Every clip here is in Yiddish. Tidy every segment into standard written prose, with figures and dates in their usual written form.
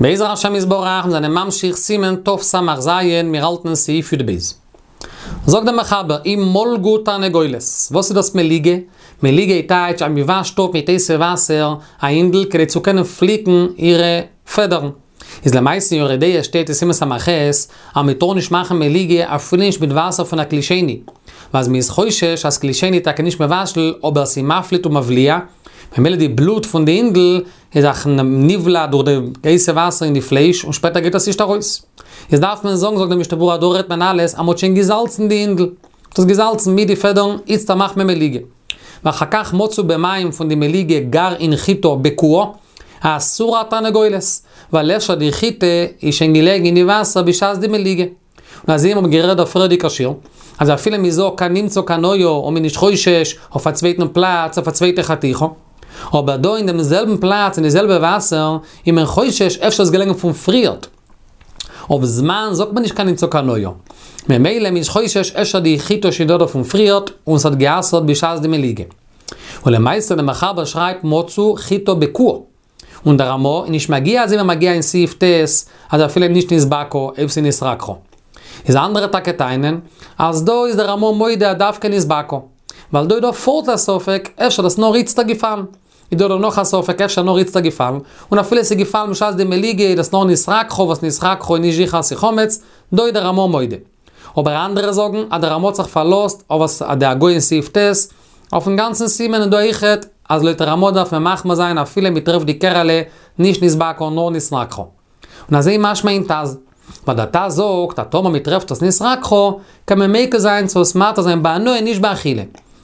בעזר השם יתברך, מיר זענען ממשיך סימן תס"ז, מיר האלטן אין סעיף י"ב. זאגט דער מחבר, אם מלגו תרנגולת, וואס איז דאס מליגה? מליגה איז טייטש אז מען וואשט אפ מיט הייסע וואסער א הינדל כדי צו קענען פליקן אירע פעדערן. איז למעשה אין יורה דעה שטייט אין סימן ס"ח אז מען טאר נישט מאכן מליגה אפילו נישט מיט וואסער פון א כלי שני, ווייל מען איז חושש אז כלי שני איז טאקע נישט מבשל אבער ס'איז מפליט ומבליע, ממילא די בלוט פון די הינדל איז זיך נבלע דורך די הייסע וואסער אין די פלייש און שפעטער גייט עס נישט ארויס. איז דארף מען זאגן זאגט די משנה ברורה דא רעדט מען אלעס אז מ'האט שוין געזאלצן די הינדל. מ'האט עס געזאלצן מיט די פעדערן, איצטער מאכט מען מליגה. ואחר כך מצאו במים פון די מליגה גרעין חיטה בקועה, אסורה התרנגולת, ווייל אפשר די חיטה איז שוין געלעגן אין די וואסער בשעת די מליגה. און אזוי האבן מיר גערעדט דער פריערדיגער שיעור, אז אפילו מען זאגט כאן נמצא כאן היה און מען איז נישט חושש אויף א צווייטן פלאץ אויף א צווייטע חתיכה, אבער דא אין דעם זעלבן פלאץ אין די זעלבע וואסער איז מען חושש אפשר איז געלעגן פון פריערט. אויף זמן זאגט מען נישט כאן נמצא כאן היה. ממילא מען איז חושש אפשר די חיטה שוין דא דא פון פריערט און ס'האט גע'אסר'ט בשעת די מליגה. און למעשה דער מחבר שרייבט מצאו חיטה בקועה. און דער רמא איז נישט מגיה אזוי ווי מגיה אין סעיף ט' אז אפילו נישט נתבקעה אויב ס'איז נתרככה. איז אנדערע טאקע טענה'ן אז דא איז דער רמא מודה אז דווקא נתבקעה. ווייל דא איז דא פארט א ספק אפשר דאס נאר איצטער געפאלן. איז דא דא נאך א ספק אפשר נאר איצטער געפאלן. און אפילו ס'איז געפאלן בשעת די מליגה איז דאס נאר נתרככה וואס נתרככה איז נישט זיכער אז ס'איז חמץ, דא איז דער רמא מודה. אבער אנדערע זאגן אז דער רמא האט זיך פארלאזט אויף וואס די הגהה אין סעיף ט' אויפן גאנצן סימן און דא אויכעט אז לויט רמא דארף מען מחמיר זיין אפילו מען טרעפט די קערעלע נישט נתבקעה נאר נתרככה. און אזוי משמע אין טז. ווייל דער טז זאגט אז טאמער מען טרעפט עס נתרככה קען מען מיקל זיין צו עס מתיר זיין בהנאה נישט באכילה.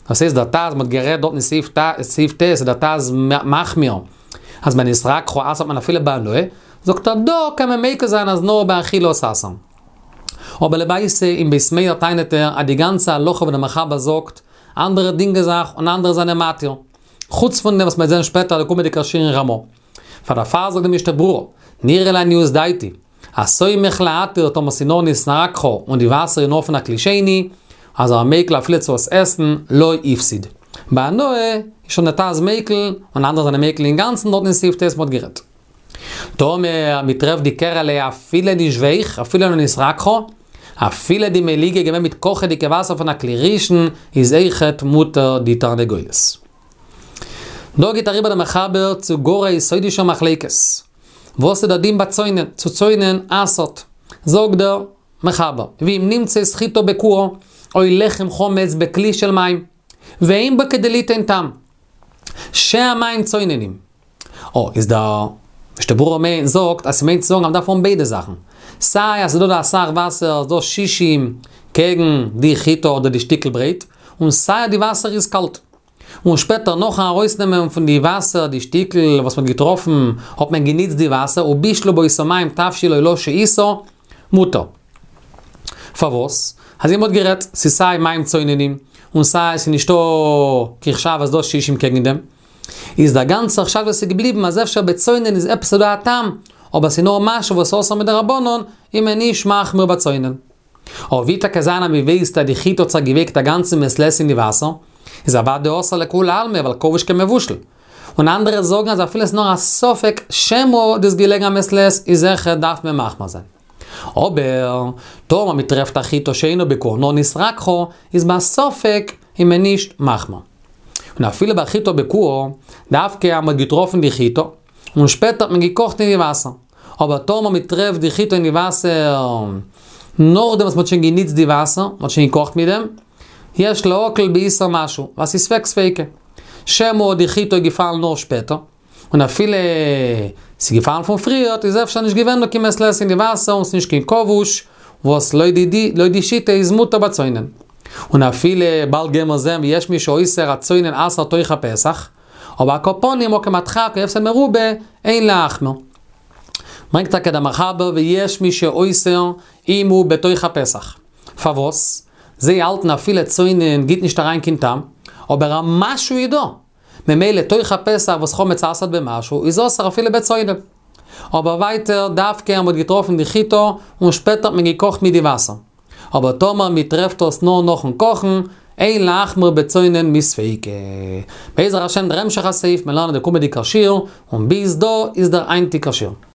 דאס הייסט דער טז מען האט גערעדט דארט אין סעיף ט' איז דער טז מחמיר אז ביי נתרככה אסר'ט מען אפילו בהנאה, זאגט ער דא קען מען מיקל זיין אז נאר באכילה עס אסר'ן. אבער למעשה אין בית מאיר טענה'ט ער אז די גאנצע הלכה וואס דער מחבר זאגט, אנדערע דינגען זיך און אנדערע זענען מתיר. חוץ פון דעם וואס מ'וועט זען שפעטער די קומענדיגע שיעור אין רמא. פאר דערפאר זאגט די משנה ברורה, נראה לעניות דעתי, הסומך להתיר טאמער ס'איז נאר נתרככה און די וואסער איז נאר פון א כלי שני, אז ער איז מיקל אפילו צו עס עסן, לא הפסיד. בהנאה איז שוין דער טז מיקל, און אנדערע זענען מיקל אינגאנצן דארט אין סעיף ט' מ'האט גערעדט. טאמער מ'טרעפט די קערעלע אפילו נישט ווייך, אפילו לא נתרככה, אפילו די מליגה געווען מיט קאכעדיגע וואסער פון א כלי ראשון, איז אויכעט מותר די תרנגולת. דא גייט אריבער דער מחבר צו גאר א יסודישער מחלוקת. וואס איז דער דין ביי צונן? צו צונן אסר'ט. זאגט דער מחבר, ואם נמצאת חיטה בקועה, או לחם חמץ בכלי של מים, ואין בו כדי ליתן טעם, שהמים צוננים. או, איז דער משנה ברורה מיינט זאגט אז ס'מיינט צו זאגן אז מ'דארף האבן ביידע זאכן. סיי אז ס'איז דא דא אסאך וואסער, ס'איז דא שישים קעגן די חיטה אדער די שטיקל ברויט, און סיי אז די וואסער איז קאלט. און שפעטער נאכן ארויסנעמען פון די וואסער די שטיקל וואס מ'האט געטראפן, האט מען געניצט די וואסער, ובישלו באותו מים תבשיל או לא שהיתה, מותר. פארוואס? אזוי מ'האט גערעדט, ס'איז סיי מים צוננים, און סיי ס'איז נישטא קיין חשש אז דא שישים קעגן דעם. איז דער גאנצער חשש וואס איז געבליבן אז אפשר בצונן איז עפעס דא א טעם, אבער ס'איז נאר משהו וואס אסור מדרבנן, איז מען נישט מחמיר בצונן. אבער ווי טאקע זיין אז מ'ווייסט אז די חיטה האט זיך געווייקט א גאנצע מעת לעת אין די וואסער, איז אוודאי אסור לכולי עלמא ווייל כבוש כמבושל. און אנדערע זאגן אז אפילו ס'איז נאר א ספק שמא דאס געלעגן א מעת לעת איז זיכער דארף מען מחמיר זיין. אבער טאמער מ'טרעפט א חיטה שאינה בקועה נאר נתרככה איז בספק איז מען נישט מחמיר. און אפילו ביי חיטה בקועה, דווקא אז מ'האט געטראפן די חיטה, און שפעטער האט מען געקאכט אין די וואסער. אבער טאמער מ'טרעפט די חיטה אין די וואסער נאכדעם וואס מ'האט שוין גענוצט די וואסער, מ'האט שוין געקאכט מיט דעם, יש להקל באיסור משהו, ווייל ס'איז ספק ספיקא. שמא די חיטה איז געפאלן נאר שפעטער, און אפילו ס'איז געפאלן פון פריערט איז אפשר נישט געווען דא קיין מעת לעת אין די וואסער און ס'איז נישט קיין כבוש, וואס לויט די לויט די שיטה איז מותר בצונן. און אפילו באלד גיימער זען ויש מי שאוסר אז צונן אסר'ט תוך הפסח, אבער על כל פנים מקום הדחק או הפסד מרובה, אין להחמיר. ברענגט טאקע דער מחבר ויש מי שאוסר אם הוא בתוך הפסח. פארוואס? זיי האלטן אפילו צונן גיט נישט אריין קיין טעם, אבער א משהו איז דא. ממילא תוך הפסח וואס חמץ אסר'ט במשהו איז אסור אפילו בצונן. אבער ווייטער דווקא אז מ'האט געטראפן די חיטה און שפעטער האט מען געקאכט מיט די וואסער. אבער טאמער מ'טרעפט עס נאר נאכן קאכן, אין להחמיר בצונן מספיקא. בעזר השם דער המשך הסעיף מיר לערנען די קומעדיגע שיעור, און ביז דא איז דער היינטיגער שיעור.